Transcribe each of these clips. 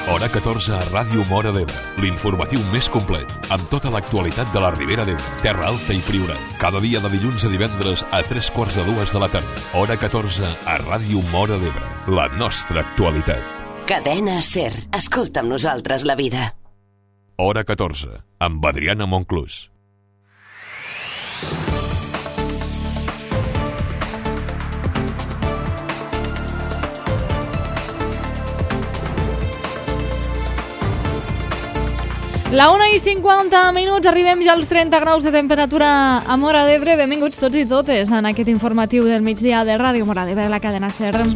Hora 14 a Ràdio Móra d'Ebre, l'informatiu més complet, amb tota l'actualitat de la Ribera d'Ebre, Terra Alta i Priorat. Cada dia de dilluns a divendres a 3:45 de la tarda. Hora 14 a Ràdio Móra d'Ebre, la nostra actualitat. Cadena SER. Escolta amb nosaltres la vida. Hora 14, amb Adriana Monclús. La 1:50, arribem ja als 30 graus de temperatura a Móra d'Ebre. Benvinguts tots i totes en aquest informatiu del migdia de Ràdio Móra d'Ebre, la cadena SER.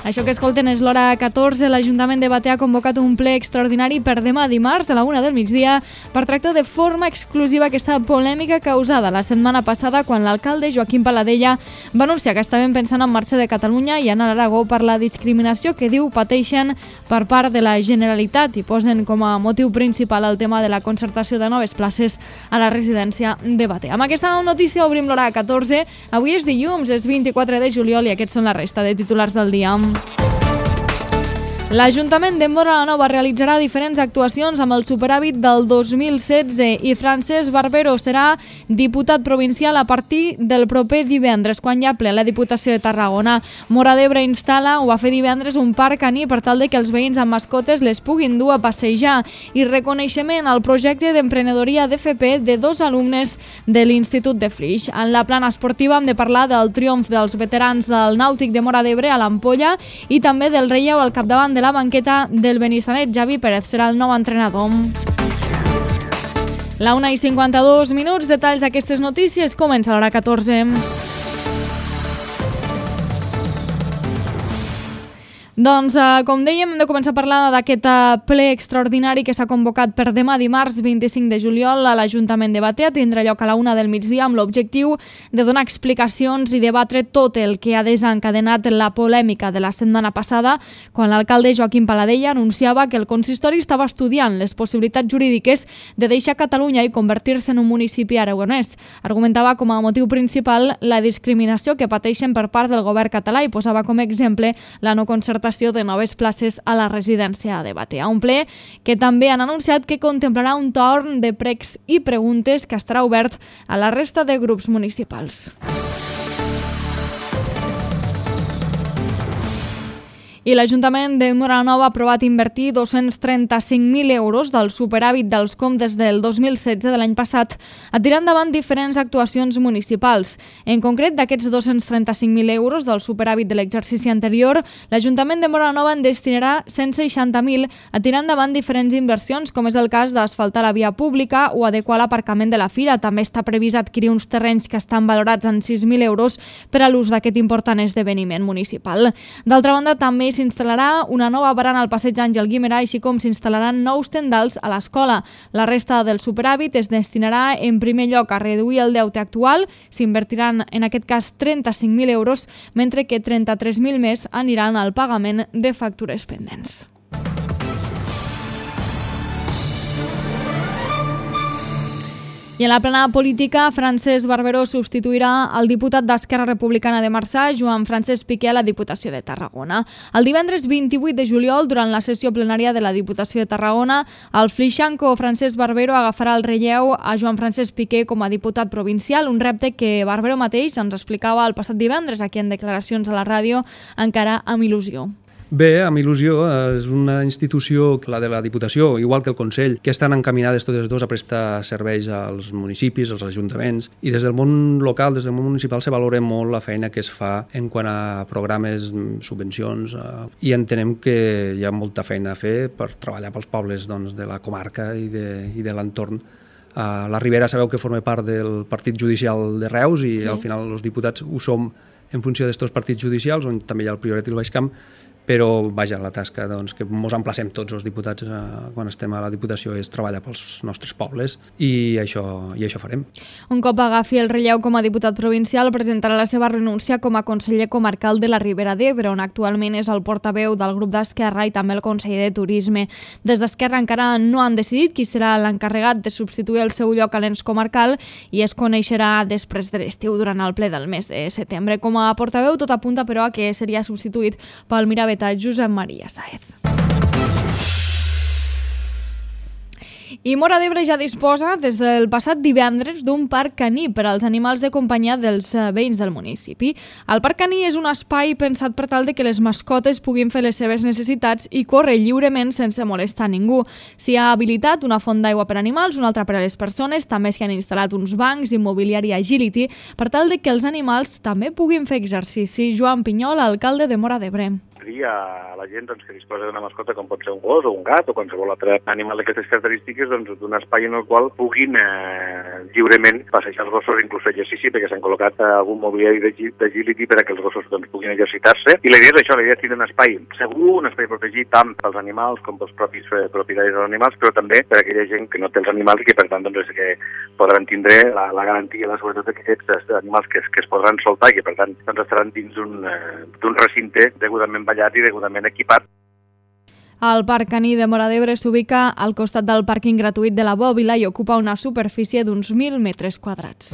Això que escolten és l'hora 14. L'Ajuntament de Batea ha convocat un ple extraordinari per demà dimarts a la 1 del migdia per tractar de forma exclusiva aquesta polèmica causada la setmana passada quan l'alcalde Joaquim Paladella va anunciar que estaven pensant en marxa de Catalunya i anar a l'Aragó per la discriminació que diu pateixen per part de la Generalitat i posen com a motiu principal el tema de la concertació de noves places a la residència de Batea. Amb aquesta notícia obrim l'hora 14. Avui és dilluns, és 24 de juliol i aquests són la resta de titulars del dia. L'Ajuntament de Móra la Nova realitzarà diferents actuacions amb el superàvit del 2016 i Francesc Barbero serà diputat provincial a partir del proper divendres, quan hi ha ple la Diputació de Tarragona. Móra d'Ebre instal·la, ho va fer divendres, un parc caní per tal de que els veïns amb mascotes les puguin dur a passejar, i reconeixement al projecte d'emprenedoria d'FP de 2 alumnes de l'Institut de Flix. En la plana esportiva hem de parlar del triomf dels veterans del Nàutic de Móra d'Ebre a l'Ampolla i també del relleu al capdavant de la banqueta del Benissanet. Javi Pérez serà el nou entrenador. La 1:52, detalls d'aquestes notícies, comença l'hora 14. Doncs, com dèiem, hem de començar a parlar d'aquest ple extraordinari que s'ha convocat per demà dimarts 25 de juliol a l'Ajuntament de Batea. Tindrà lloc a la 1 del migdia amb l'objectiu de donar explicacions i debatre tot el que ha desencadenat la polèmica de la setmana passada, quan l'alcalde Joaquim Paladella anunciava que el consistori estava estudiant les possibilitats jurídiques de deixar Catalunya i convertir-se en un municipi aragonès. Argumentava com a motiu principal la discriminació que pateixen per part del govern català i posava com a exemple la no concertació de noves places a la residència de Batea. Un ple que també han anunciat que contemplarà un torn de pregs i preguntes que estarà obert a la resta de grups municipals. I l'Ajuntament de Móra la Nova ha aprovat invertir 235.000 euros del superàvit dels comptes del 2016 de l'any passat a tirar endavant diferents actuacions municipals. En concret, d'aquests 235.000 euros del superàvit de l'exercici anterior, l'Ajuntament de Móra la Nova en destinarà 160.000 a tirar endavant diferents inversions, com és el cas d'asfaltar la via pública o adequar l'aparcament de la fira. També està previst adquirir uns terrenys que estan valorats en 6.000 euros per a l'ús d'aquest important esdeveniment municipal. D'altra banda, també s'instal·larà una nova barana al passeig Àngel Guimerà, així com s'instal·laran nous tendals a l'escola. La resta del superàvit es destinarà en primer lloc a reduir el deute actual, s'invertiran en aquest cas 35.000 euros, mentre que 33.000 més aniran al pagament de factures pendents. I en la plana política, Francesc Barbero substituirà el diputat d'Esquerra Republicana de Marçà, Joan Francesc Piqué, a la Diputació de Tarragona. El divendres 28 de juliol, durant la sessió plenària de la Diputació de Tarragona, el flixanco Francesc Barbero agafarà el relleu a Joan Francesc Piqué com a diputat provincial, un repte que Barbero mateix ens explicava el passat divendres aquí en declaracions a la ràdio, encara amb il·lusió. Bé, amb il·lusió, és una institució, la de la Diputació, igual que el Consell, que estan encaminades totes dues a prestar serveis als municipis, als ajuntaments, i des del món local, des del món municipal, se valora molt la feina que es fa en quant a programes, subvencions, i entenem que hi ha molta feina a fer per treballar pels pobles de la comarca i de l'entorn. La Ribera sabeu que forma part del partit judicial de Reus i al final els diputats ho som en funció d'estos partits judicials, on també hi ha el Priorat i el Baix Camp, però vaja, la tasca que ens emplacem tots els diputats quan estem a la Diputació és treballar pels nostres pobles i això farem. Un cop agafi el relleu com a diputat provincial, presentarà la seva renúncia com a conseller comarcal de la Ribera d'Ebre, on actualment és el portaveu del grup d'Esquerra i també el conseller de Turisme. Des d'Esquerra encara no han decidit qui serà l'encarregat de substituir el seu lloc a l'ens comarcal i es coneixerà després de l'estiu durant el ple del mes de setembre. Com a portaveu tot apunta, però, a que seria substituït pel miravetà Josep Maria Sáez. I Móra d'Ebre ja disposa des del passat divendres d'un parc caní per als animals de companyia dels veïns del municipi. El parc caní és un espai pensat per tal de que les mascotes puguin fer les seves necessitats i córrer lliurement sense molestar ningú. S'hi ha habilitat una font d'aigua per animals, una altra per a les persones, també s'hi han instal·lat uns bancs i mobiliari agility per tal de que els animals també puguin fer exercici. Joan Pinyol, alcalde de Móra d'Ebre. A la gent que disposa d'una mascota com pot ser un gos o un gat o qualsevol altre animal d'aquestes característiques, d'un espai en el qual puguin lliurement passejar els gossos, inclús fer exercici, perquè s'han col·locat algun mobiliari d'agility per a que els gossos puguin exercitar-se. I la idea és això, la idea és tenir un espai segur, un espai protegit tant pels animals com pels propis propietaris dels animals, però també per a aquella gent que no té els animals i que per tant és que podran tindre la garantia i la seguretat que aquests animals que es podran soltar i que per tant estaran dins d'un recinte degudament ballat i degudament equipat. El Parc Caní de Móra d'Ebre s'ubica al costat del pàrquing gratuït de la Bòbila i ocupa una superfície d'uns 1.000 metres quadrats.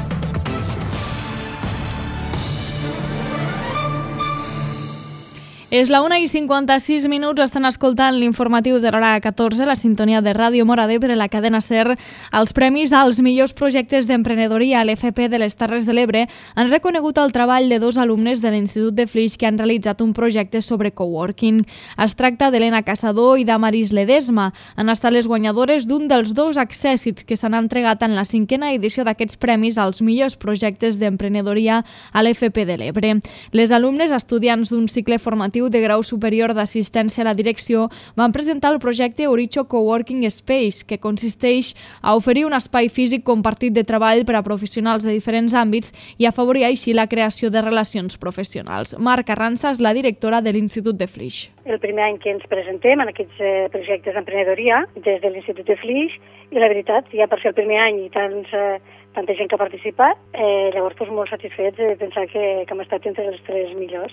És la 1:56, estan escoltant l'informatiu de l'hora 14, la sintonia de Ràdio Móra d'Ebre, la cadena SER. Els premis als millors projectes d'emprenedoria a l'FP de les Terres de l'Ebre han reconegut el treball de 2 alumnes de l'Institut de Flix que han realitzat un projecte sobre coworking. Es tracta d'Helena Caçador i d'Amaris Ledesma. Han estat les guanyadores d'un dels 2 accèssits que s'han entregat en la 5a edició d'aquests premis als millors projectes d'emprenedoria a l'FP de l'Ebre. Les alumnes, estudiants d'un cicle formatiu de grau superior d'assistència a la direcció, van presentar el projecte Oricho Coworking Space, que consisteix a oferir un espai físic compartit de treball per a professionals de diferents àmbits i afavorir així la creació de relacions professionals. Marc Arranza és la directora de l'Institut de Flix. El primer any que ens presentem en aquests projectes d'emprenedoria des de l'Institut de Flix, i la veritat, ja per ser el primer any i tanta gent que ha participat, llavors molt satisfets de pensar que hem estat entre els 3 millors.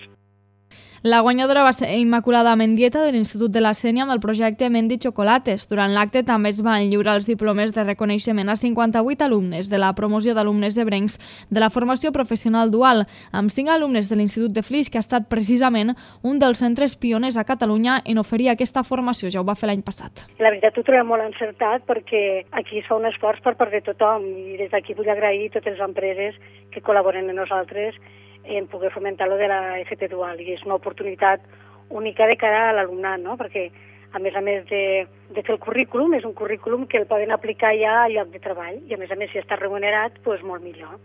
La guanyadora va ser Immaculada Mendieta de l'Institut de la Sénia amb el projecte Mendi Chocolates. Durant l'acte també es van lliurar els diplomes de reconeixement a 58 alumnes de la promoció d'alumnes ebrencs de la formació professional dual, amb 5 alumnes de l'Institut de Flix, que ha estat precisament un dels centres pioners a Catalunya en oferir aquesta formació. Ja ho va fer l'any passat. La veritat ho trobem molt encertat perquè aquí es fa un esforç per part de tothom i des d'aquí vull agrair a totes les empreses que col·laboren amb nosaltres en poder fomentar lo de la FP dual, i és una oportunitat única de cara a l'alumnat, no? Perquè a més de fer el currículum, és un currículum que el poden aplicar ja al lloc de treball i a més si està remunerat, doncs molt millor.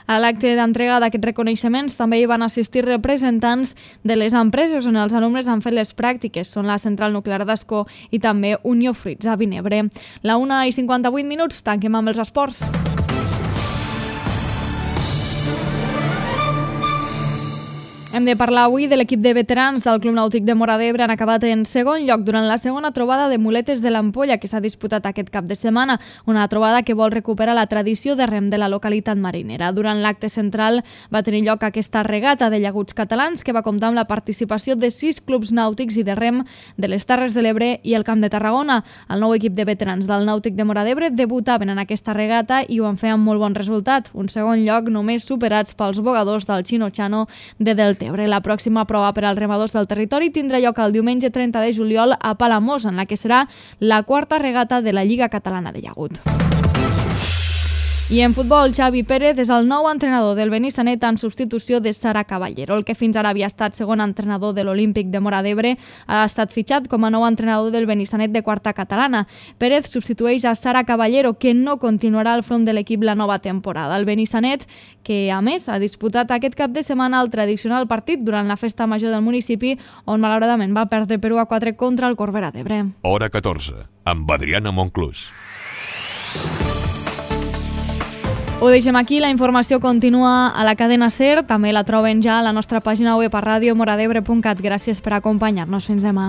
A l'acte d'entrega d'aquests reconeixements també hi van assistir representants de les empreses on els alumnes han fet les pràctiques, són la Central Nuclear d'Ascó i també Unió Fruits a Vinebre. La 1:58, tanquem amb els esports. Hem de parlar avui de l'equip de veterans del Club Nàutic de Móra d'Ebre. Han acabat en segon lloc durant la segona trobada de muletes de l'Ampolla que s'ha disputat aquest cap de setmana, una trobada que vol recuperar la tradició de rem de la localitat marinera. Durant l'acte central va tenir lloc aquesta regata de llaguts catalans que va comptar amb la participació de 6 clubs nàutics i de rem de les Terres de l'Ebre i el Camp de Tarragona. El nou equip de veterans del Nàutic de Móra d'Ebre debutaven en aquesta regata i ho van fer amb molt bon resultat. Un segon lloc només superats pels bogadors del Chino-Chano de Deltebre. La pròxima prova per als remadors del territori tindrà lloc el diumenge 30 de juliol a Palamós, en la que serà la 4a regata de la Lliga Catalana de Llagut. I en futbol, Xavi Pérez és el nou entrenador del Benissanet en substitució de Sara Caballero. El que fins ara havia estat segon entrenador de l'Olímpic de Móra d'Ebre ha estat fitxat com a nou entrenador del Benissanet de quarta catalana. Pérez substitueix a Sara Caballero, que no continuarà al front de l'equip la nova temporada. El Benissanet, que a més ha disputat aquest cap de setmana el tradicional partit durant la festa major del municipi, on malauradament va perdre per 1-4 contra el Corbera d'Ebre. Hora 14, amb Adriana Monclús. Ho deixem aquí, la informació continua a la cadena SER, també la troben ja a la nostra pàgina web a radiomoradebre.cat. Gràcies per acompanyar-nos, fins demà.